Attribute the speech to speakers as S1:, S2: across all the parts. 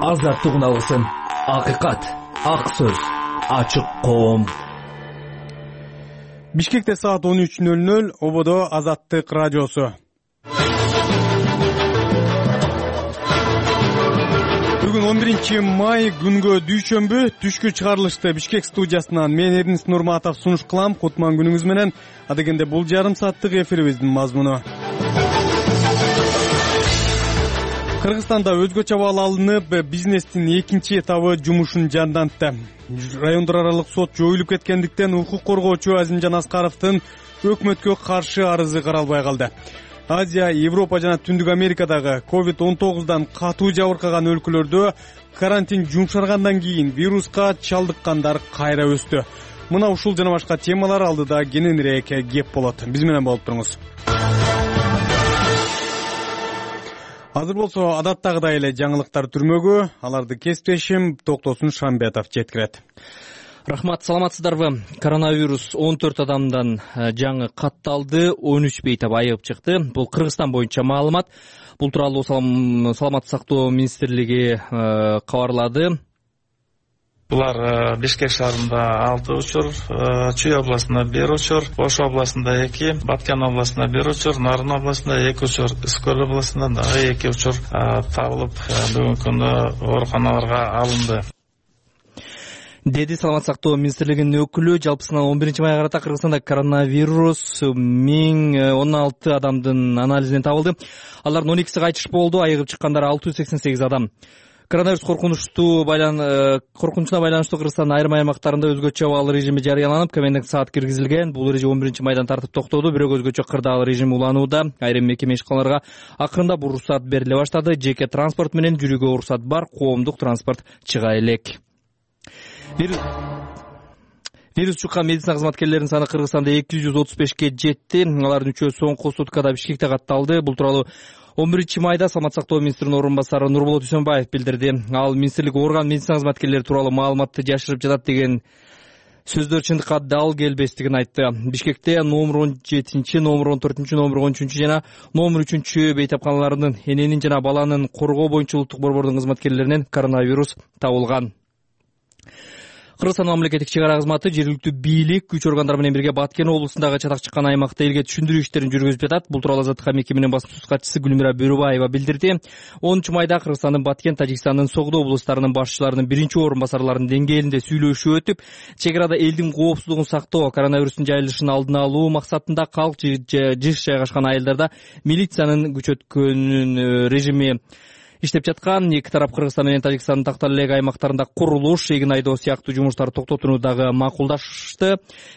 S1: азаттык алгысын. Акыйкат, ак сөз, ачык коом.
S2: Бишкекте саат 13:00, ободо Азаттык радиосу. Бүгүн 11 май күнгө дүйшөмбү түшкү чыгарылышты Бишкек студиясынан мен Эрнис Нурматов сунуш кылам. Кутман күнүңүз менен. Адегенде бул жарым сааттык эфирибиздин мазмуну. Кыргызстанда өзгөчө абал алынып, бизнестин экинчи этабы жумушун жандантты. Райондор аралык сот жоюлуп кеткендиктен укук коргоочу Азимжан Аскаровдун өкмөткө каршы арызы каралбай калды. Азия, Европа жана Түндүк Америкадагы COVID-19 катуу жабыркаган өлкөлөрдө карантин жумшаргандан кийин вируска чалдыккандар кайра өстү. Мына ушул жана башка темалар алдыда кененирээк кеп болот. Биз менен болуп туруңуз. Азыр болсо адаттагыдай эле жаңылыктар түрмөгү, аларды кесиптешим Токтосун Шамбетов жеткирет.
S3: Рахмат, саламатсыздарбы? Коронавирус 14 адамдан жаңы катталды, 13 бейтап айыгып чыкты. Бул Кыргызстан боюнча маалымат. Бул тууралуу Саламаттык сактоо министрлиги кабарлады.
S4: Булар Бишкек шаарында 6 учур, Чүй областында 1 учур, Ош областында 2, Баткен областында 1 учур, Нарын областында 2 учур, Искөл областында дагы 2 учур табылып, бүгүнкү күндө ооруканаларга алынды.
S3: Деди Саламаттык сактоо министрлигинин өкүлү. Жалпысынан 11 майга карата Кыргызстанда коронавирус 1016 адамдын анализинен табылды. Алардын 12си кайтыш болду, айыгып чыккандар 688 адам. Коронавирус коркунучуна байланыштуу Кыргызстандын айрым аймактарында өзгөчө абал режими жарыяланып, комендантк саат киргизилген. Бул эреже 11 майдан тартып токтоду, бирок өзгөчө кырдаал режим уланууда. Айрым мекеме ишканаларга акырында бул уруксат бериле баштады. Жеке транспорт менен жүрүүгө уруксат бар, коомдук транспорт чыга элек. Вирус чуккан медицина кызматкерлеринин саны Кыргызстанда 235ке жетти. Алардын үчөө соңку суткада Бишкекте катталды. Бул тууралуу 11 майда Саламаттык сактоо министринин орун басары Нурболот Үсөнбаев билдирди. Ал министрлик оорукан медицина кызматкерлери тууралуу маалыматты жашырып жатат деген сөздөр чындыкка дал келбестигин айтты. Бишкекте номер 17, номер 14, номер 13 жана номер 3 бейтапканаларынын эненин жана баланын коргоо боюнча улуттук борбордун кызматкерлеринен коронавирус табылган. Кыргызстан мамлекеттик чек ара кызматы, жергиликтүү бийлик, күч органдары менен бирге Баткен облусундагы чатак чыккан аймакта элге түшүндүрүү иштерин жүргүзүп жатат. Бул тууралуу Азаттыкка мекеменин басма сөз катчысы Гүлмира Бөрүбаева билдирди. 10 майда Кыргызстандын Баткен, Тажикстандын Согдо облустарынын башчыларынын биринчи орун басарларынын деңгээлинде сүйлөшүү өтүп, чек арада элдин коопсуздугун сактоо, коронавирустун жайылышын алдын алуу максатында калк жыш жайгашкан айылдарда милициянын күчөткөнүн режими иштеп жаткан. Эки тарап Кыргызстан менен Тажикстандын тактал элек аймактарында курулуш, эгин айдоо сыяктуу жумуштарды токтотууну дагы макулдашты.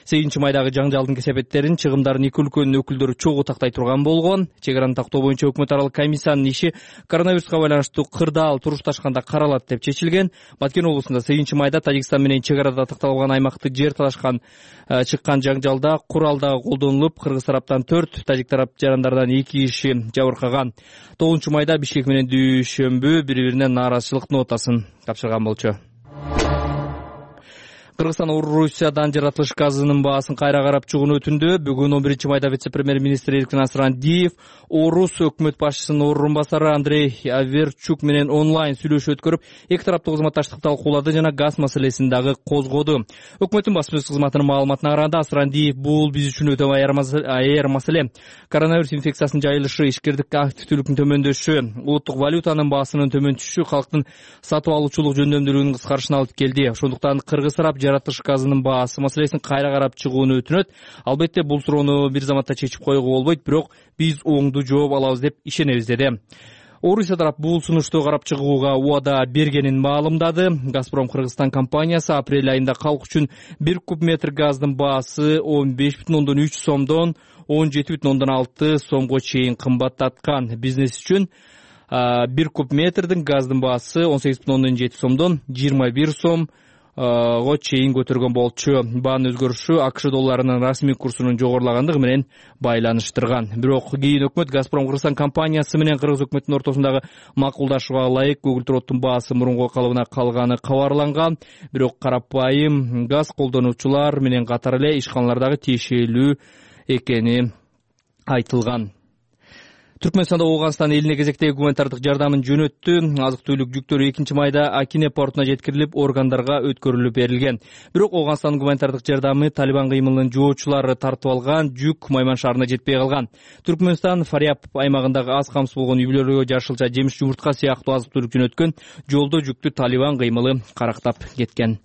S3: 8 майдагы жаңжалдын кесепеттерин, чыгымдарын эки өлкөнүн өкүлдөрү чогуу тактай турган болгон. Чек араны тактоо боюнча өкмөт аралык комиссиянын иши коронавируска байланыштуу кырдаал турушташканда каралат деп чечилген. Баткен облусунда 8 майда Тажикстан менен чек арада такталган аймакты жер талашкан чыккан жаңжалда курал дагы колдонулуп, кыргыз тараптан 4, тажик тарап жарандардан 2 киши жабыркаган. 9 майда Бишкек менен дүйшөмбү бири-бирине нааразычылык нотасын тапшырган болчу. Кыргызстан Орусиядан жаратылыш газынын баасын кайра карап чыгууну өтүндү. Бүгүн 11 майда вице-премьер-министр Эркин Асрандиев Орус өкмөт башчысынын орун басары Андрей Аверчук менен онлайн сүйлөшүү өткөрүп, эки тараптуу кызматташтыкты талкуулады жана газ маселесин дагы козгоду. Өкмөттүн басма сөз кызматынын маалыматына караганда Асрандиев бул биз үчүн өтө аяр маселе. Коронавирус инфекциясынын жайылышы, ишкердик активдүүлүктүн төмөндөшү, улуттук валютанын баасынын төмөн түшүшү калктын сатып алуучулук жөндөмдүүлүгүнүн кыскарышына алып келди. Ошондуктан кыргыз тарап жаратылыш газынын баасы маселесин кайра карап чыгууну өтүнөт. Албетте бул суроону бир заматта чечип коюуга болбойт, бирок биз оңдуу жооп алабыз деп ишенебиз деди. Орусия тарап бул сунушту карап чыгууга убада бергенин маалымдады. Газпром Кыргызстан компаниясы апрель айында калк үчүн 1 куб метр газдын баасы 15,3 сомдон 17,6 сомго чейин кымбаттаткан. Бизнес үчүн 1 куб метрдин газдын баасы 18,7 сомдон 21 сом го чейин көтөргөн болчу. Баанын өзгөрүшү АКШ долларынын расмий курсунун жогорулагандыгы менен байланыштырган. Бирок кийин өкмөт Газпром Кыргызстан компаниясы менен кыргыз өкмөтүнүн ортосундагы макулдашууга ылайык көгүл баасы мурунку калыбына калганы кабарланган. Бирок карапайым газ колдонуучулар менен катар эле ишканалардагы тиешелүү экени айтылган. Түркмөнстанда Ооганстан элине кезектеги гуманитардык жардамын жөнөттү. Азык-түлүк жүктөрү 2-майда Акине портуна жеткирилип, органдарга өткөрүлүп берилген. Бирок Ооганстандын гуманитардык жардамы Талибан кыймылынын жоочулары тартып алган жүк Майман шаарына жетпей калган. Түркмөнстан Фарияб аймагындагы аз камсыз болгон үй-бүлөлөргө жашылча жемиш жумуртка сыяктуу азык-түлүк жөнөткөн жолдо жүктү Талибан кыймылы карактап кеткен.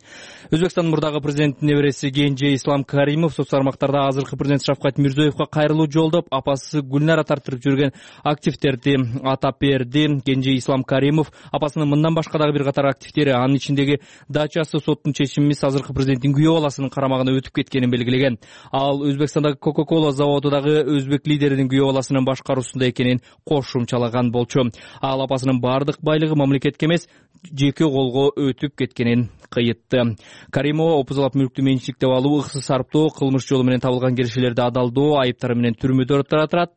S3: Өзбекстандын мурдагы президенттин небереси Кенже Ислам Каримов соц тармактарда азыркы президент Шавкат Мирзиёевго кайрылуу жолдоп, апасы Гүлнара тартырып жүргөн активдерди атап берди. Кенже Ислам Каримов апасынын мындан башка дагы бир катар активдери, анын ичиндеги дачасы соттун чечимиз азыркы президенттин күйөө баласынын карамагына өтүп кеткенин белгилеген. Ал Өзбекстандагы Coca-Cola заводу дагы өзбек лидеринин күйөө баласынын башкаруусунда экенин кошумчалаган болчу. Ал апасынын бардык байлыгы мамлекетке эмес, жеке колго өтүп кеткенин кыйытты. Каримова опузалап мүлктү менчиктеп алуу, ыксыз сарптоо, кылмыш жолу менен табылган киришелерди адалдоо айыптары менен түрмөдө турат.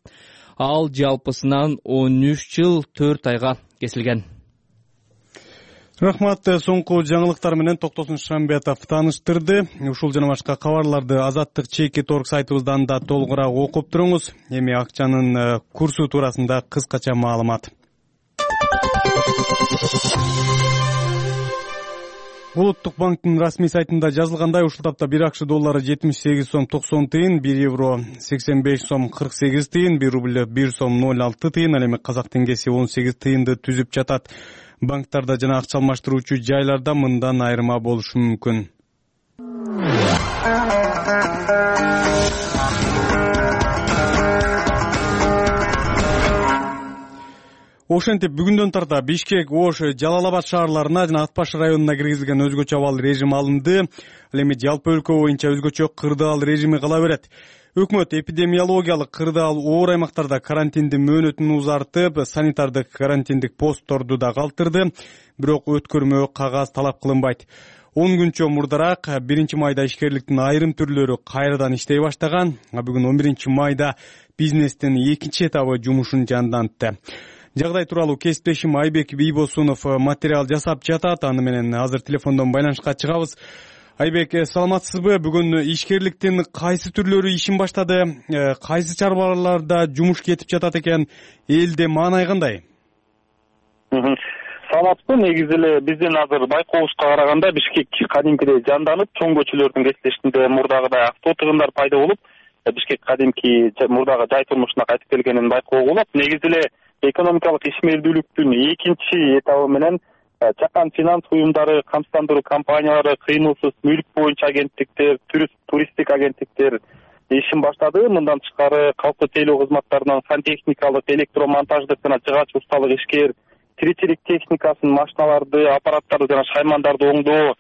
S3: Ал жалпысынан 13 жыл 4 айга кесилген.
S2: Рахмат. Соңку жаңылыктар менен Токтосун Шамбетов тааныштырды. Ушул жана башка кабарларды Азаттык ЧК.орг сайтыбыздан да толугураак окуп туруңуз. Эми акчанын курсу туурасында кыскача маалымат. Улуттук банктын расмий сайтында жазылгандай, ушул тапта 1 акш доллары 78 сом 90 тыйын, 1 евро 85 сом 48 тыйын, 1 рубль 1 сом 06 тыйын, ал эми казак теңгеси 18 тыйынды түзүп жатат. Банктарда жана акча алмаштыруучу жайларда мындан айырма болушу мүмкүн. Ошентип бүгүндөн тарта Бишкек, Ош, Жалал-Абад шаарларына жана Ат Баш районуна киргизилген өзгөчө абал режим алынды. Ал эми жалпы өлкө боюнча өзгөчө кырдаал режими кала берет. Өкмөт эпидемиологиялык кырдаал оор аймактарда карантиндин мөөнөтүн узартып, санитардык карантиндик постторду да калтырды. Бирок өткөрмө кагаз талап кылынбайт. 10 күнчө мурдараак 1 майда ишкерликтин айрым түрлөрү кайрадан иштей баштаган. Бүгүн 11 майда бизнестин экинчи этабы жумушун жандантты. Жагдай тууралуу кесиптешим Айбек Бийбосунов материал жасап жатат. Аны менен азыр телефондон байланышка чыгабыз. Айбек, саламатсызбы? Бүгүн ишкерликтин кайсы түрлөрү ишин баштады? Кайсы чарбаларда жумуш кетип жатат экен? Элде маанай кандай?
S5: Саламатсызбы? Негизи эле биздин азыр байкообузга караганда Бишкек кадимкидей жанданып, чоң көчөлөрдүн кесиптешинде мурдагыдай авто тыгындар пайда болуп, Бишкек кадимки мурдагы жай турмушуна кайтып келгенин байкоого болот. Негизи эле экономикалык ишмердүүлүктүн экинчи этабы менен чакан финанс уюмдары, камсыздандыруу компаниялары, кыймылсыз мүлк боюнча агенттиктер, туристтик агенттиктер ишин баштады. Мындан тышкары калктуу тейлөө кызматтарынан сантехникалык, электромонтаждык жана жыгач усталык ишкер, тиричилик техникасын, машиналарды, аппараттарды жана шаймандарды оңдоо,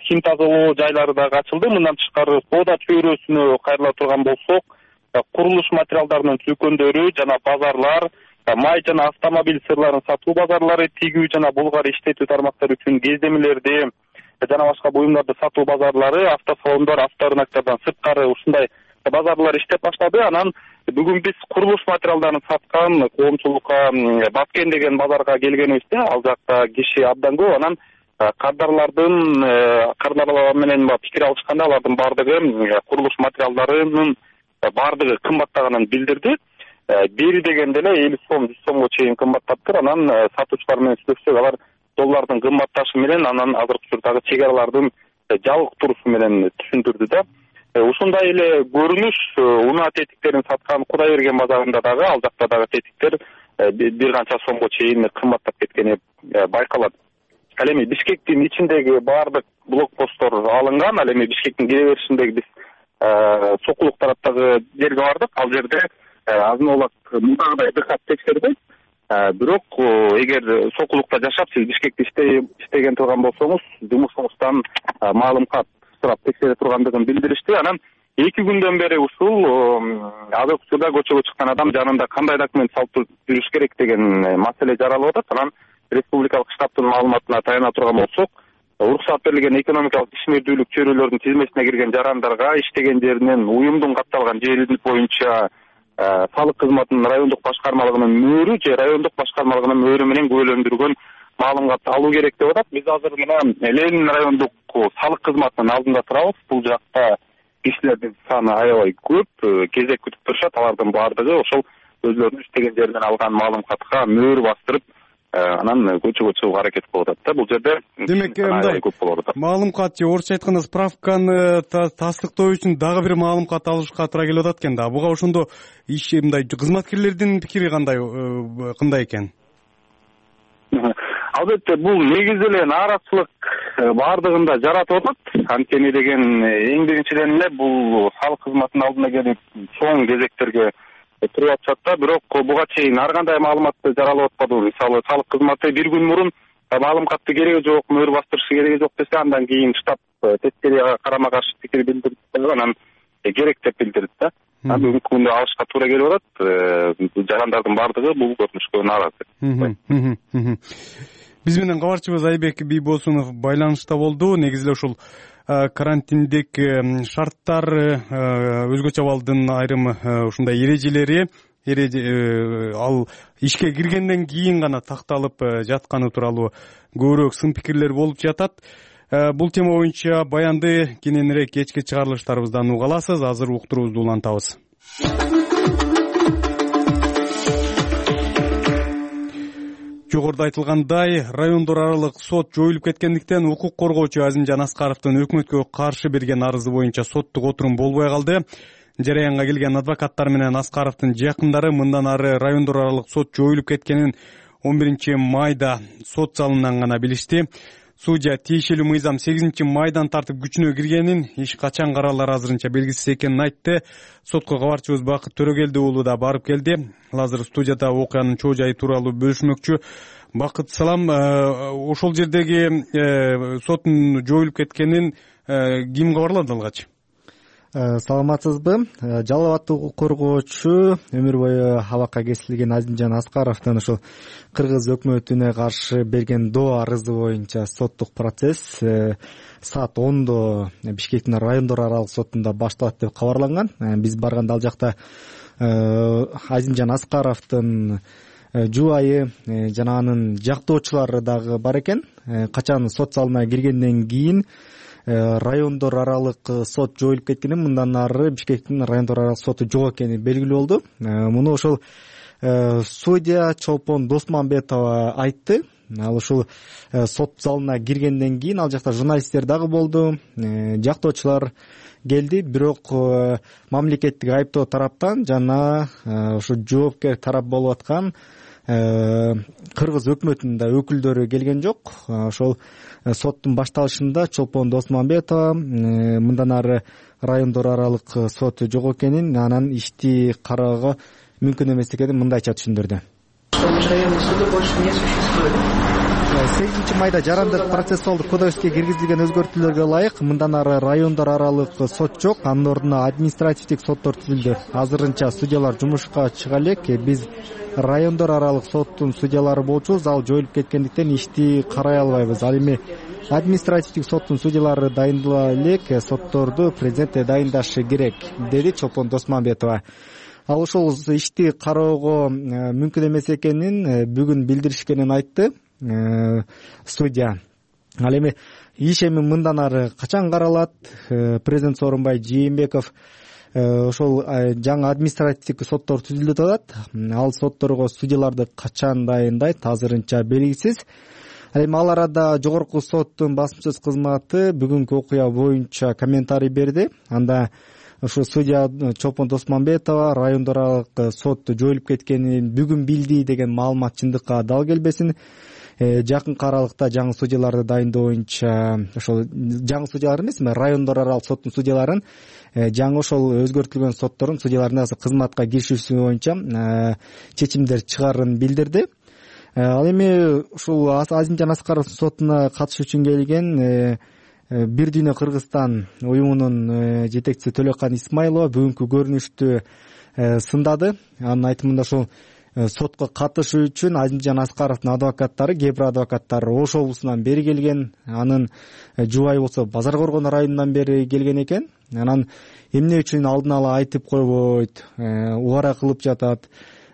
S5: хим тазалоо жайлары дагы ачылды. Мындан тышкары соода чөйрөсүнө кайрыла турган болсок, курулуш материалдарынын дүкөндөрү жана базарлар, май жана автомобиль сырларын сатуу базарлары, тигүү жана булгар иштетүү тармактары үчүн кездемелерди жана башка буюмдарды сатуу базарлары, автосалондор, авторынактардан сырткары ушундай базарлар иштеп баштады. Анан бүгүн биз курулуш материалдарын саткан коомчулукка Баскен деген базарга келгенибизде, ал жакта киши абдан көп. Анан кардарлар менен пикир алышканда алардын бардыгы курулуш материалдарынын бардыгы кымбаттаганын билдирди. Бери дегенде эле 50 сом, 100 сомго чейин кымбаттаптыр. Анан сатуучулар менен сүйлөшсөк, алар доллардын кымбатташы менен анан азыркы учурдагы чек аралардын жабык турусу менен түшүндүрдү да. Ушундай эле көрүнүш унаа тетиктерин саткан Кудайберген базарында дагы, ал жакта дагы тетиктер бир канча сомго чейин кымбаттап кеткени байкалат. Ал эми Бишкектин ичиндеги баардык блокпосттор алынган. Ал эми Бишкектин кире беришиндеги биз Сокулук тараптагы жерге бардык. Ал жерде азын оолак мындагыдай дыкат текшербейт. Бирок эгер Сокулукта жашап сиз Бишкекте иштеген турган болсоңуз, жумушуңуздан маалымат сурап текшере тургандыгын билдиришти. Анан 2 күндөн бери ушул азыркы учурда көчөгө чыккан адам жанында кандай документ салып жүрүш керек деген маселе жаралып атат. Анан республикалык штабтын маалыматына таяна турган болсок, уруксат берилген экономикалык ишмердүүлүк чөйрөлөрүнүн тизмесине кирген жарандарга иштеген жеринен уюмдун катталган жери боюнча салык кызматынын райондук башкармалыгынын мөөрү же райондук башкармалыгынын мөөрү менен күбөлөндүргөн маалыматты алуу керек деп атат. Биз азыр мына Ленин райондук салык кызматынын алдында турабыз. Бул жакта кишилердин саны аябай көп, кезек күтүп турушат. Алардын баардыгы ошол өзлөрүнүн иштеген жеринен алган маалыматка мөөр бастырып анан көчөгө чыгууга аракет кылып атат да. Бул жерде
S2: демек мындай
S5: көп болуп атат.
S2: Маалымат же орусча айтканда справканы тастыктоо үчүн дагы бир маалымат алышка туура келип атат экен да. Буга ошондо мындай кызматкерлердин пикири кандай экен?
S5: Албетте бул негизи эле нааразычылык баардыгында жаратып атат. Анткени деген эң биринчиден эле бул салык кызматынын алдына келип чоң кезектерге туруп атышат да. Бирок буга чейин ар кандай маалыматты жаралып атпады. Мисалы салык кызматы бир күн мурун маалыматты кереги жок, мөөр бастырышы кереги жок десе, андан кийин штаб тескери карама каршы пикир билдирди, анан керек деп билдирди да. Бүгүнкү күндө алышка туура келип атат. Жарандардын баардыгы бул көрүнүшкө нааразы.
S2: Биз менен кабарчыбыз Айбек Бийбосунов байланышта болду. Негизи эле ушул карантиндик шарттар, өзгөчө абалдын айрым ушундай эрежелери ал ишке киргенден кийин гана такталып жатканы тууралуу көбүрөөк сын пикирлер болуп жатат. Бул тема боюнча баянды кененирээк кечки чыгарылыштарыбыздан уга аласыз. Азыр уктуруубузду улантабыз. Жогоруда айтылгандай, райондор аралык сот жоюлуп кеткендиктен укук коргоочу Азимжан Аскаровдун өкмөткө каршы берген арызы боюнча соттук отурум болбой калды. Жараянга келген адвокаттар менен Аскаровдун жакындары мындан ары райондор аралык сот жоюлуп кеткенин 11-майда сот залынан гана билишти. Судья тиешелүү мыйзам 8-майдан тартып күчүнө киргенин, иш качан каралары азырынча белгисиз экенин айтты. Сотко кабарчыбыз Бакыт Төрөгелди уулу да барып келди. Азыр студияда окуянын чоо жайы тууралуу бөлүшмөкчү. Бакыт, салам. Ошол жердеги соттун жоюлуп кеткенин ким кабарлады алгач?
S6: Саламатсызбы? Жалал абаддык укук коргоочу өмүр бою абакка кесилген Азимжан Аскаровдун ушул кыргыз өкмөтүнө каршы берген доо арызы боюнча соттук процесс саат 10-до Бишкектин райондор аралык сотунда башталат деп кабарланган. Биз барганда ал жакта Азимжан Аскаровдун жубайы жана анын жактоочулары дагы бар экен. Качан сот залына киргенден кийин райондор аралык сот жоюлуп кеткенин, мындан ары Бишкектин райондор аралык соту жок экени белгилүү болду. Муну ошол судья Чолпон Досмамбетова айтты. Ал ушул сот залына киргенден кийин ал жакта журналисттер дагы болду, жактоочулар келди, бирок мамлекеттик айыптоо тараптан жана ушу жоопкер тарап болуп аткан кыргыз өкмөтүнүн да өкүлдөрү келген жок. Ошол соттун башталышында Чолпон Досмамбетова мындан ары райондор аралык сот жок экенин, анан ишти кароого мүмкүн эмес экенин мындайча түшүндүрдү. Районный суды больше не существует. 8-майда жарандык процессуалдык кодекске киргизилген өзгөртүүлөргө ылайык мындан ары райондор аралык сот жок, анын ордуна административдик соттор түзүлдү. Азырынча судьялар жумушка чыга элек. Биз райондор аралык соттун судьялары болчубуз, ал жоюлуп кеткендиктен ишти карай албайбыз. Ал эми административдик соттун судьялары дайындала элек, сотторду президент дайындашы керек, деди Чолпон Досмамбетова. Ал ошол ишти кароого мүмкүн эмес экенин бүгүн билдиришкенин айтты судья. Ал эми иш эми мындан ары качан каралат? Президент Сооронбай Жээнбеков ошол жаңы административдик соттор түзүлүп атат. Ал сотторго судьяларды качан дайындайт азырынча белгисиз. Ал эми ал арада жогорку соттун басмачысыз кызматы бүгүнкү окуя боюнча комментарий берди. Анда ушу судья Чолпон Досмамбетова райондор аралык сот жоюлуп кеткенин бүгүн билди деген маалымат чындыкка дал келбесин. Жакынкы аралыкта жаңы судьяларды дайындоо боюнча ошол жаңы судьялар эмес, райондор аралык соттун судьяларын жаңы ошол өзгөртүлгөн соттордун судьяларына кызматка киришүүсү боюнча чечимдер чыгарын билдирди. Ал эми ушул Азимжан Аскаровдун сотуна катышуу үчүн келген Бир дүйнө Кыргызстан уюмунун жетекчиси Төлөкан Исмайлова бүгүнкү көрүнүштү сындады. Анын айтымында ошол сотко катышуу үчүн Азимжан Аскаровдун адвокаттары, кээ бир адвокаттар Ош облусунан бери келген, анын жубайы болсо Базар Коргон районунан бери келген экен. Анан эмне үчүн алдын ала айтып койбойт, убара кылып жатат.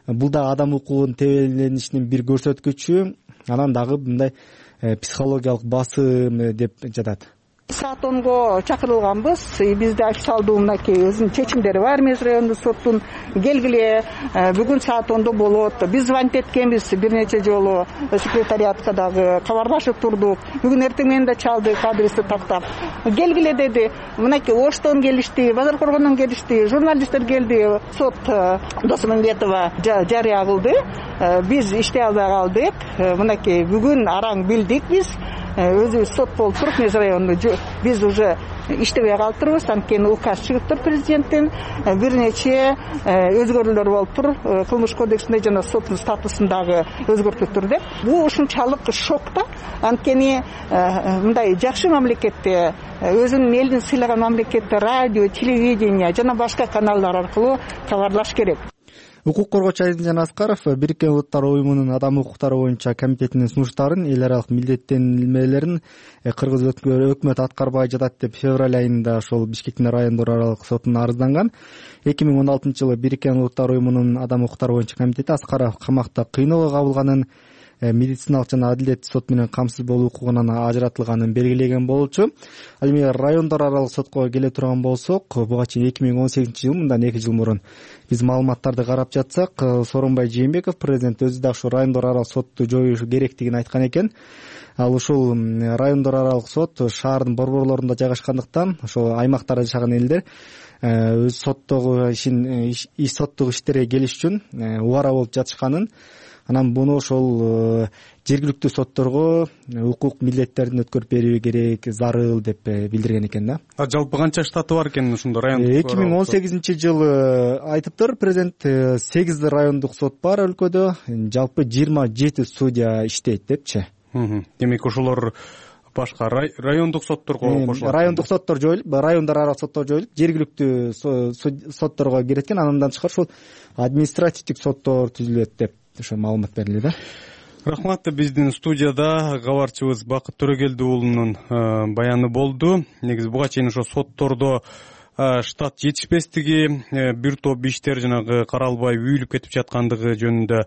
S6: Бул да адам укугунун тебеленишинин бир көрсөткүчү. Анан дагы мындай психологиялык басым деп жатат.
S7: Саат 10го чакырылганбыз. Бизде официалдуу мынакей өзүнүн чечимдери бар. Эмес райондук соттун келгиле, бүгүн саат 10до болот. Биз звонить эткенбиз бир нече жолу, секретариатка дагы кабарлашып турдук. Бүгүн эртең менен да чалдык, адрести тактап. Келгиле деди. Мынакей Оштон келишти, Базар Коргондон келишти, журналисттер келди. Сот Досмамбетова жарыя кылды. Биз иштей албай калдык. Мынакей бүгүн араң билдик биз. Өзүбүз сот болуп туруп, Мез районунда биз уже иштебей калыптырбыз. Анткени указ чыгыптыр президенттин. Бир нече өзгөрүүлөр болуптур. Кылмыш кодексинде жана соттун статусундагы өзгөртүлүптүр деп. Бул ушунчалык шок да. Анткени мындай жакшы мамлекетте, өзүнүн элин сыйлаган мамлекетте радио, телевидение жана башка каналдар аркылуу кабарлаш керек.
S6: Укук коргоочу Азимжан Аскаров Бириккен Улуттар Уюмунун адам укуктары боюнча комитетинин сунуштарын, эл аралык милдеттенмелерин кыргыз өкмөт аткарбай жатат деп февраль айында ошол Бишкектин райондор аралык сотуна арызланган. 2016-жылы Бириккен Улуттар Уюмунун адам укуктары боюнча комитети Аскаров камакта кыйноого кабылганын, медициналык жана адилеттик сот менен камсыз болуу укугунан ажыратылганын белгилеген болчу. Ал эми райондор аралык сотко келе турган болсок, буга чейин 2018-жыл, мындан 2 жыл мурун биз маалыматтарды карап жатсак, Сооронбай Жээнбеков президент өзү да ушу райондор аралык сотту жоюш керектигин айткан экен. Ал ушул райондор аралык сот шаардын борборлорунда жайгашкандыктан ошол аймактарда жашаган элдер өз соттогу соттук иштерге келиш үчүн убара болуп жатышканын, анан буну ошол жергиликтүү сотторго укук милдеттерин өткөрүп берүү керек, зарыл деп билдирген экен да.
S2: Жалпы канча штаты бар экен ушундо райондук?
S6: 2018-жылы айтыптыр президент, 8 райондук сот бар өлкөдө, жалпы 27 судья иштейт депчи.
S2: Демек ошолор башка райондук сотторго кошулат.
S6: Райондук соттор жоюлуп, райондар аралык соттор жоюлуп, жергиликтүү сотторго кирет экен. Андан тышкары ушул административдик соттор түзүлөт деп ошо маалымат берилди да.
S2: Рахмат. Биздин студияда кабарчыбыз Бакыт Төрөгелди уулунун баяны болду. Негизи буга чейин ошо соттордо штат жетишпестиги, бир топ иштер жанагы каралбай үйүлүп кетип жаткандыгы жөнүндө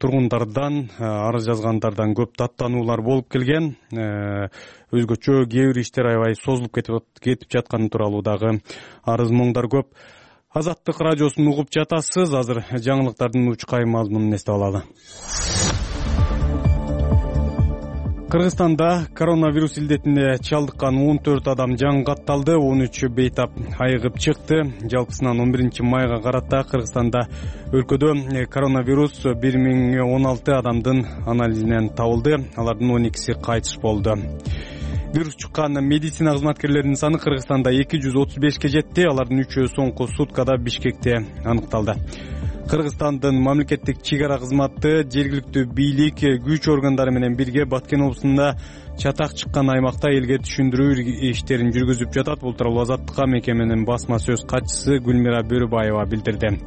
S2: тургундардан, арыз жазгандардан көп даттануулар болуп келген. Өзгөчө кээ бир иштер аябай созулуп кетип жатканы тууралуу дагы арыз моңдар көп. Азаттык радиосун угуп жатасыз. Азыр жаңылыктардын учкай мазмунун эстеп алалы. Кыргызстанда коронавирус илдетине чалдыккан 14 адам жан катталды, 13 бейтап айыгып чыкты. Жалпысынан 11 майга карата Кыргызстанда өлкөдө коронавирус 1016 адамдын анализинен табылды. Алардын 12си кайтыш болду. Вирус чыккан медицина кызматкерлеринин саны Кыргызстанда 235ке жетти. Алардын 3-өө соңку суткада Бишкекте аныкталды. Кыргызстандын мамлекеттик чек ара кызматы, жергиликтүү бийлик, күч органдары менен бирге Баткен облусунда чатак чыккан аймакта элге түшүндүрүү иштерин жүргүзүп жатат. Бул тууралуу Азаттыкка мекеменин басма сөз катчысы Гүлмира Бөрүбаева билдирди.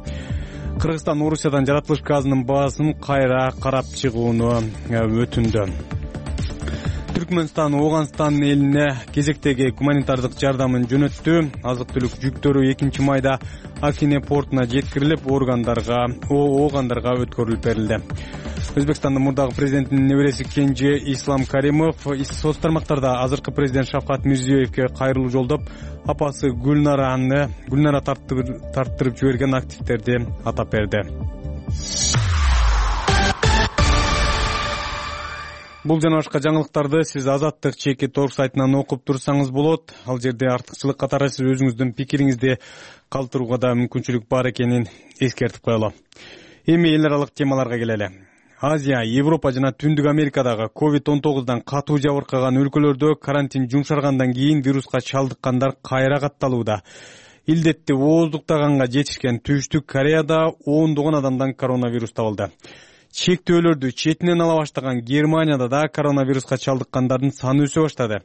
S2: Кыргызстан Орусиядан жаратылыш газынын баасын кайра карап чыгууну өтүндү. Түркмөнстан Ооганстан элине кезектеги гуманитардык жардамын жөнөттү. Азык-түлүк жүктөрү 2-майда Акине портуна жеткирилип, оогандарга өткөрүлүп берилди. Өзбекстандын мурдагы президентинин небереси Кенже Ислам Каримов соц тармактарда азыркы президент Шавкат Мирзиёевке кайрылуу жолдоп, апасы Гүлнара тарттырып жиберген активдерди атап берди. Бул жана башка жаңылыктарды сиз Азаттык чеки торг сайтынан окуп турсаңыз болот. Ал жерде артыкчылык катары сиз өзүңүздүн пикириңизди калтырууга да мүмкүнчүлүк бар экенин эскертип коелу. Эми эл аралык темаларга келели. Азия, Европа жана Түндүк Америкадагы COVID-19 катуу жабыркаган өлкөлөрдө карантин жумшаргандан кийин вируска чалдыккандар кайра катталууда. Илдетти ооздуктаганга жетишкен Түштүк Кореяда ондогон адамдан коронавирус табылды. Чектөөлөрдү четинен ала баштаган Германияда да коронавируска чалдыккандардын саны өсө баштады.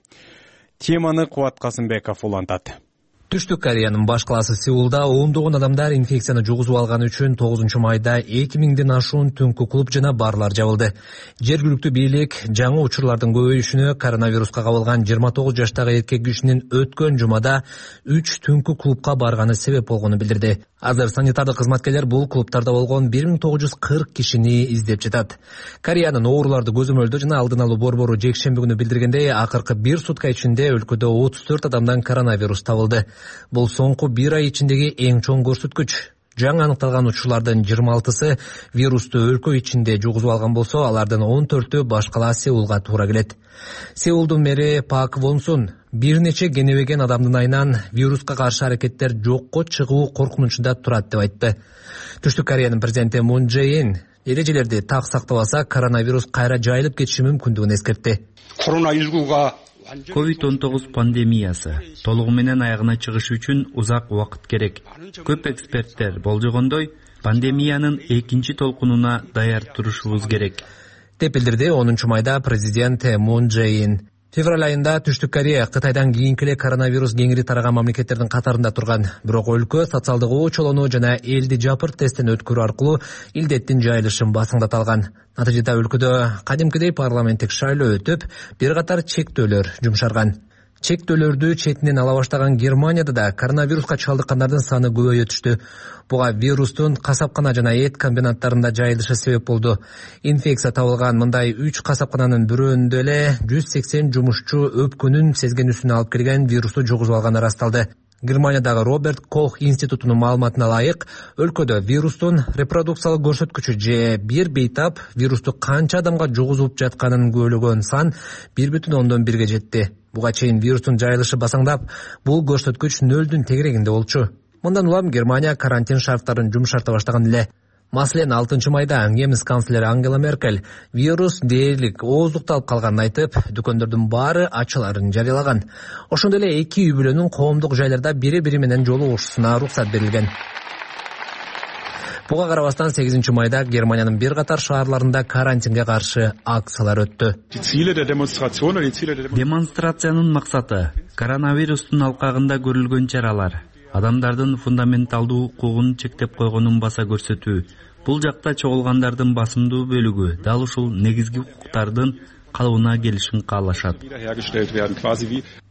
S2: Теманы Кубат Касымбеков улантат.
S1: Түштүк Кореянын баш калаасы Сеулда ондогон адамдар инфекцияны жугузуп алганы үчүн 9 майда 2000ден ашуун түнкү клуб жана барлар жабылды. Жергиликтүү бийлик жаңы учурлардын көбөйүшүнө коронавируска кабылган 29 жаштагы эркек кишинин өткөн жумада 3 түнкү клубка барганы себеп болгонун билдирди. Азыр санитардык кызматкерлер бул клубтарда болгон 1940 кишини издеп жатат. Кореянын ооруларды көзөмөлдөө жана алдын алуу борбору жекшемби күнү билдиргендей, акыркы 1 сутка ичинде өлкөдө 34 адамдан коронавирус табылды. Бул соңку 1 ай ичиндеги эң чоң көрсөткүч. Жаңы аныкталган учурлардын 26сы вирусту өлкө ичинде жугузуп алган болсо, алардын 14-ү башкала Сеулга туура келет. Сеулдун мэри Пак Вонсун бир нече кенебеген адамдын айынан вируска каршы аракеттер жокко чыгуу коркунучунда турат деп айтты. Түштүк Кореянын президенти Мун Чже Ин эрежелерди так сактабаса, коронавирус кайра жайылып кетиши мүмкүндүгүн эскертти.
S8: COVID-19 пандемиясы толугу менен аягына чыгышы үчүн узак убакыт керек. Көп эксперттер болжогондой, пандемиянын экинчи толкунуна даяр турушубуз керек
S1: деп билдирди 10-майда президент Мун Чже Ин. Февраль айында Түштүк Корея Кытайдан кийинки эле коронавирус кеңири тараган мамлекеттердин катарында турган. Бирок өлкө социалдык очолонуу жана элди жапырт тесттен өткөрүү аркылуу илдеттин жайылышын басыңдата алган. Натыйжада өлкөдө кадимкидей парламенттик шайлоо өтүп, бир катар чектөөлөр жумшарган. Чектөөлөрдү четинен ала баштаган Германияда да коронавируска чалдыккандардын саны көбөйө түштү. Буга вирустун касапкана жана эт комбинаттарында жайылышы себеп болду. Инфекция табылган мындай 3 касапкананын бирөөндө эле 180 жумушчу өпкөнүн сезгенүүсүн алып келген вирусту жугузуп алганы ырасталды. Германиядагы Роберт Кох институтунун маалыматына ылайык, өлкөдө вирустун репродукциялык көрсөткүчү же бир бейтап вирусту канча адамга жугузуп жатканын көбөлөгөн сан 1,1 жетти. Буга чейин вирустун жайылышы басаңдап, бул көрсөткүч 0-дун тегерегинде болчу. Мындан улам Германия карантин шарттарын жумшарта баштаган эле. Маселен, 6-майда немис канцлери Ангела Меркель вирус дээрлик ооздукталып калганын айтып, дүкөндөрдүн баары ачыларын жарыялаган. Ошондой эле эки үй бүлөнүн коомдук жайларда бири-бири менен жолугушуусуна уруксат берилген. Буга карабастан 8-майда Германиянын бир катар шаарларында карантинге каршы акциялар өттү.
S8: Демонстрациянын максаты коронавирустун алкагында көрүлгөн чаралар, адамдардын фундаменталдуу укугун чектеп койгонун баса көрсөтүү. Бул жакта чогулгандардын басымдуу бөлүгү дал ушул негизги укуктардын калыбына келишин каалашат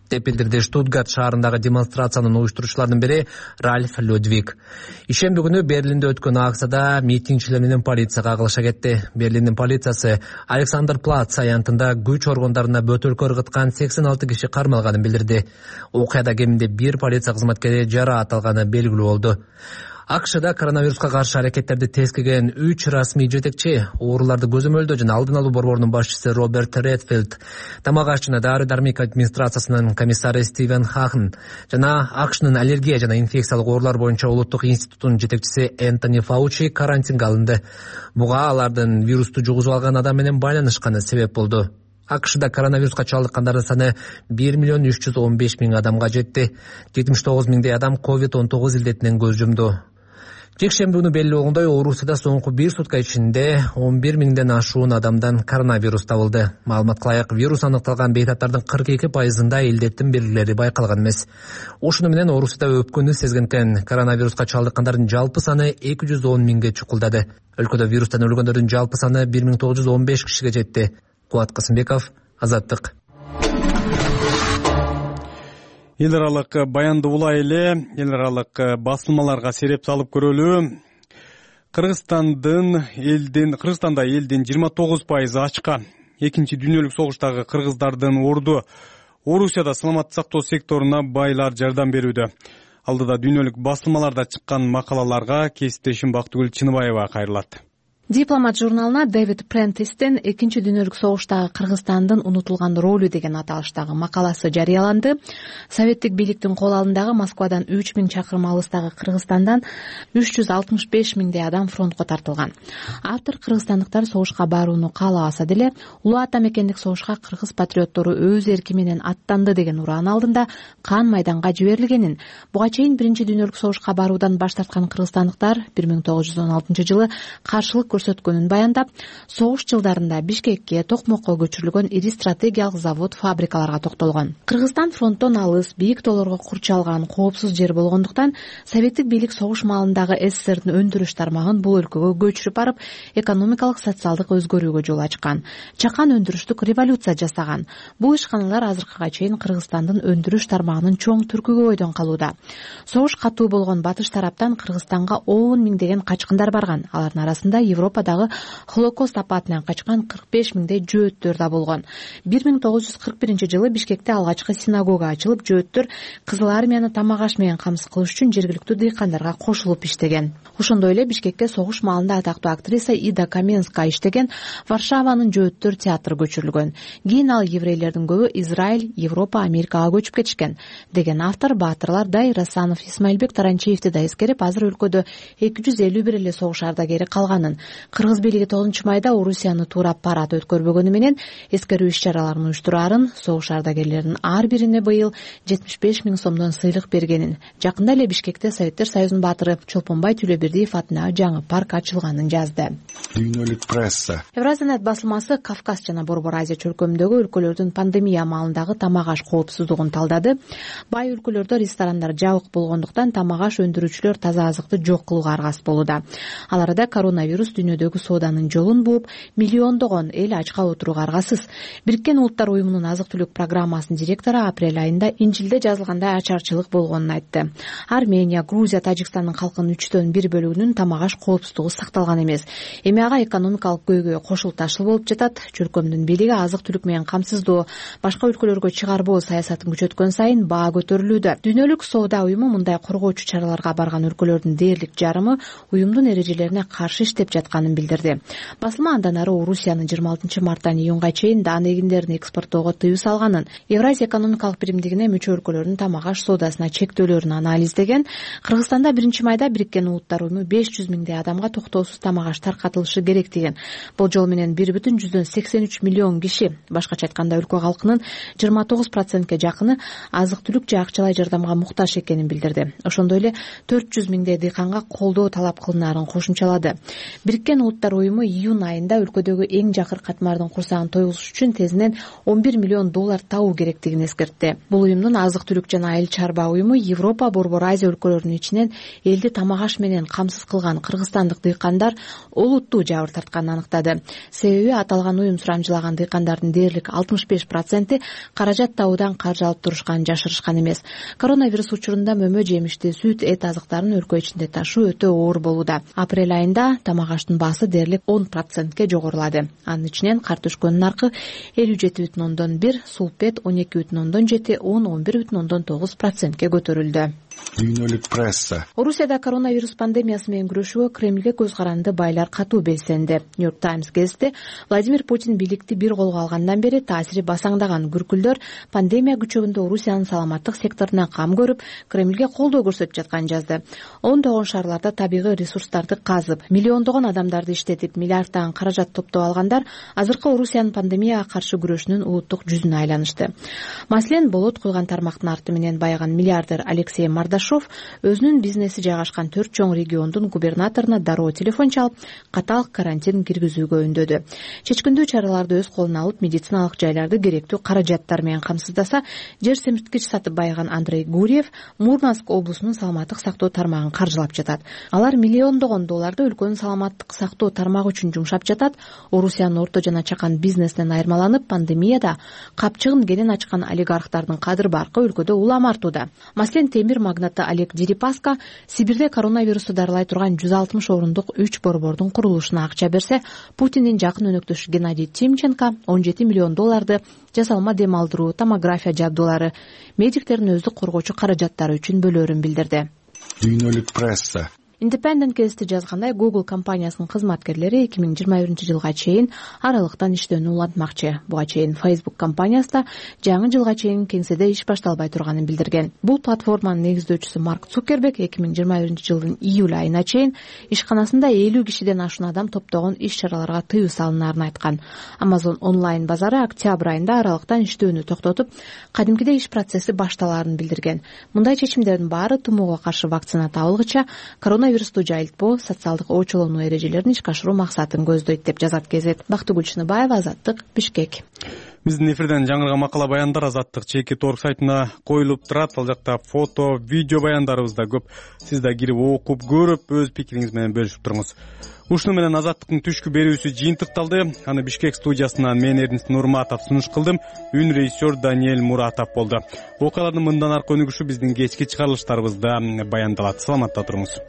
S1: деп билдирди Штутгарт шаарындагы демонстрациянын уюштуруучуларынын бири Ральф Людвиг. Ишемби күнү Берлинде өткөн акцияда митингчилер менен полиция кагылыша кетти. Берлиндин полициясы Александр Плац аянтында күч органдарына бөтөлкө ыргыткан 86 киши кармалганын билдирди. Окуяда кеминде 1 полиция кызматкери жараат алганы белгилүү болду. АКШда коронавируска каршы аракеттерди тескеген 3 расмий жетекчи, ооруларды көзөмөлдөө жана алдын алуу борборунун башчысы Роберт Редфилд, тамак аш жана дары-дармек администрациясынын комиссары Стивен Хахн жана АКШнын аллергия жана инфекциялык оорулар боюнча улуттук институтунун жетекчиси Энтони Фаучи карантинге алынды. Буга алардын вирусту жугузуп алган адам менен байланышканы себеп болду. АКШда коронавируска чалдыккандардын саны 1,315,000 адамга жетти. 79 миңдей адам COVID-19 илдетинен көз жумду. Жекшемби күнү белгилүү болгондой, Орусияда соңку 1 сутка ичинде 11 миңден ашуун адамдан коронавирус табылды. Маалыматка ылайык, вирус аныкталган бейтаптардын 42%-ында илдеттин белгилери байкалган эмес. Ошону менен Орусияда өпкөнү сезгенкен коронавируска чалдыккандардын жалпы саны 210 миңге чукулдады. Өлкөдө вирустан өлгөндөрдүн жалпы саны 1915 кишиге жетти. Кубат Касымбеков, Азаттык.
S2: Эл аралык баянды улай эле эл аралык басылмаларга сереп салып көрөлү. Кыргызстанда элдин 29% ачка. Экинчи дүйнөлүк согуштагы кыргыздардын орду Орусияда саламаттык сактоо секторуна байлар жардам берүүдө. Алдыда дүйнөлүк басылмаларда чыккан макалаларга кесиптешим Бактыгүл Чыныбаева кайрылат.
S9: Дипломат журналына Дэвид Прентистен экинчи дүйнөлүк согуштагы Кыргызстандын унутулган ролу деген аталыштагы макаласы жарыяланды. Советтик бийликтин кол алдындагы Москвадан 3000 чакырым алыстагы Кыргызстандан 365 миңдей адам фронтко тартылган. Автор кыргызстандыктар согушка барууну каалабаса деле, улуу ата мекендик согушка кыргыз патриоттору өз эрки менен аттанды деген ураан алдында кан майданга жиберилгенин, буга чейин биринчи дүйнөлүк согушка баруудан баш тарткан кыргызстандыктар 1916 жылы каршылык көрсөткөнүн баяндап, согуш жылдарында Бишкекке, Токмокко көчүрүлгөн ири стратегиялык завод, фабрикаларга токтолгон. Кыргызстан фронттон алыс, бийик тоолорго курчалган коопсуз жер болгондуктан советтик бийлик согуш маалындагы СССРдин өндүрүш тармагын бул өлкөгө көчүрүп барып, экономикалык, социалдык өзгөрүүгө жол ачкан. Чакан өндүрүштүк революция жасаган. Бул ишканалар азыркыга чейин Кыргызстандын өндүрүш тармагынын чоң түркүгү бойдон калууда. Согуш катуу болгон батыш тараптан Кыргызстанга 10 миңдеген качкындар барган. Алардын арасында Европадагы Холокост апатынан качкан 45 миңдей жөөттөр да болгон. 1941-жылы Бишкекте алгачкы синагога ачылып, жөөттөр Кызыл армияны тамак аш менен камсыз кылыш үчүн жергиликтүү дыйкандарга кошулуп иштеген. Ошондой эле Бишкекке согуш маалында атактуу актриса Ида Каменская иштеген Варшаванын жөөттөр театры көчүрүлгөн. Кийин ал еврейлердин көбү Израиль, Европа, Америкага көчүп кетишкен, деген автор Баатырлар Дай Расанов Исмаилбек Таранчиевди да эскерип, азыр өлкөдө 251 эле согуш ардагери калганын, кыргыз бийлиги 9-майда Орусияны туурап парад өткөрбөгөнү менен эскерүү иш-чараларын уюштураарын, согуш ардагерлеринин ар бирине быйыл 75 миң сомдон сыйлык бергенин, жакында эле Бишкекте Советтер Союзунун баатыры Чолпонбай Түлөбердиев атына жаңы парк ачылганын жазды.
S10: Дүйнөлүк пресса.
S9: Евразиянет басылмасы Кавказ жана Борбор Азия чөлкөмүндөгү өлкөлөрдүн пандемия маалындагы тамак аш коопсуздугун талдады. Бай өлкөлөрдө ресторандар жабык болгондуктан тамак аш өндүрүүчүлөр таза азыкты жок кылууга аргасыз болууда. Ал арада коронавирус дүйнөдөгү сооданын жолун бууп, миллиондогон эл ачка отурууга аргасыз. Бириккен Улуттар уюмунун азык-түлүк программасынын директору апрель айында Инжилде жазылгандай ачарчылык болгонун айтты. Армения, Грузия, Тажикстандын калкынын 1/3 бөлүгүнүн тамак аш коопсуздугу сакталган эмес. Эми ага экономикалык көйгөй кошулташыл болуп жатат. Чөлкөмдүн бийлиги азык-түлүк менен камсыздоо, башка өлкөлөргө чыгарбоо саясатын күчөткөн сайын баа көтөрүлүүдө. Дүйнөлүк соода уюму мындай коргоочу чараларга барган өлкөлөрдүн дээрлик жарымы уюмдун эрежелерине каршы иштеп жатканын билдирди. Басылма андан ары Орусиянын 26 марттан июнга чейин даан эгиндерин экспорттоого тыюу салганын, Евразия экономикалык биримдигине мүчө өлкөлөрдүн тамак аш соодасына чектөөлөрүн анализдеген. Кыргызстанда 1-майда Бириккен Улуттар уюму 500 миңдей адамга токтоосуз тамак аш таркатылышы керек деген. Болжол менен 1,83 миллион киши, башкача айтканда өлкө калкынын 29%ке жакыны азык-түлүк же акчалай жардамга муктаж экенин билдирди. Ошондой эле 400 миңдей дыйканга колдоо талап кылынаарын кошумчалады. Бириккен Улуттар уюму июнь айында өлкөдөгү эң жакыр катмардын курсагын тойгузуш үчүн тезинен $11 миллион табуу керектигин эскертти. Бул уюмдун азык-түлүк жана айыл чарба уюму Европа, Борбор Азия өлкөлөрүнүн ичинен элди тамак аш менен камсыз кылган кыргызстандык дыйкандар олуттуу жабыр тартканын аныктады. Себеби аталган уюм сурамжылаган дыйкандардын дээрлик 65% каражат табуудан каржы алып турушканын жашырышкан эмес. Коронавирус учурунда мөмө, жемишти, сүт, эт азыктарын өлкө ичинде ташуу өтө оор болууда. Апрель айында тамак аштын баасы дээрлик 10%ке жогорулады. Анын ичинен картошконун наркы 57,1, сулпет 12,7, 11,9%ке көтөрүлдү.
S10: Дүйнөлүк пресса.
S9: Орусияда коронавирус пандемиясы менен күрөшүүгө Кремлге көз каранды байлар катуу белсенди. Нью-Йорк Таймс гезити Владимир Путин бийликти бир колго алгандан бери таасири басаңдаган күркүлдөр пандемия күчөгүндө Орусиянын саламаттык секторуна кам көрүп, Кремлге колдоо көрсөтүп жатканын жазды. Ондогон шаарларда табигый ресурстарды казып, миллиондогон адамдарды иштетип, миллиарддаган каражат топтоп алгандар азыркы Орусиянын пандемияга каршы күрөшүнүн улуттук жүзүнө айланышты. Маселен, болот куйган тармактын арты менен байыган миллиардер Алексей Мардашов өзүнүн бизнеси жайгашкан 4 чоң региондун губернаторуна дароо телефон чалып, катаал карантин киргизүүгө үндөдү. Чечкиндүү чараларды өз колуна алып, медициналык жайларды керектүү каражаттар менен камсыздаса, жер семирткич сатып байыган Андрей Гурьев Мурманск облусунун саламаттык сактоо тармагын каржылап жатат. Алар миллиондогон долларды өлкөнүн саламаттык сактоо тармагы үчүн жумшап жатат. Орусиянын орто жана чакан бизнесинен айырмаланып, пандемияда капчыгын кенен ачкан олигархтардын кадыр баркы өлкөдө улам артууда. Маселен, темир магнаты Олег Дерипаска Сибирде коронавирусту дарылай турган 160 орундук 3 борбордун курулушуна акча берсе, Путиндин жакын өнөктөшү Геннадий Тимченко $17 миллион жасалма дем алдыруу, томография жабдуулары, медиктердин өздүк коргоочу каражаттары үчүн бөлөөрүн билдирди.
S10: Дүйнөлүк пресса.
S9: Independent гезити жазгандай, Google компаниясынын кызматкерлери 2021-жылга чейин аралыктан иштөөнү улантмакчы. Буга чейин Facebook компаниясы да жаңы жылга чейин кеңседе иш башталбай турганын билдирген. Бул платформанын негиздөөчүсү Марк Цукерберг 2021-жылдын июль айына чейин ишканасында 50 кишиден ашуун адам топтогон иш-чараларга тыюу салынаарын айткан. Amazon онлайн базары октябрь айында аралыктан иштөөнү токтотуп, кадимкидей иш процесси башталаарын билдирген. Мындай чечимдердин баары тумоого каршы вакцина табылгыча коронавирус коронавирусту жайылтпоо, социалдык оочулонуу эрежелерин ишке ашыруу максатын көздөйт деп жазат Кезет. Бактыгүл Чыныбаева, Азаттык, Бишкек.
S2: Биздин эфирден жаңырган макала баяндар Азаттык ЧК.org сайтына коюлуп турат. Ал жакта фото, видео баяндарыбыз да көп. Сиз да кирип окуп, көрүп, өз пикириңиз менен бөлүшүп туруңуз. Ушуну менен Азаттыктын түшкү берүүсү жыйынтыкталды. Аны Бишкек студиясынан мен Эрдинис Нурматов сунуш кылдым. Үн режиссер Даниэль Муратов болду. Окуялардын мындан аркы өнүгүшү биздин кечки чыгарылыштарыбызда баяндалат. Саламатта туруңуз.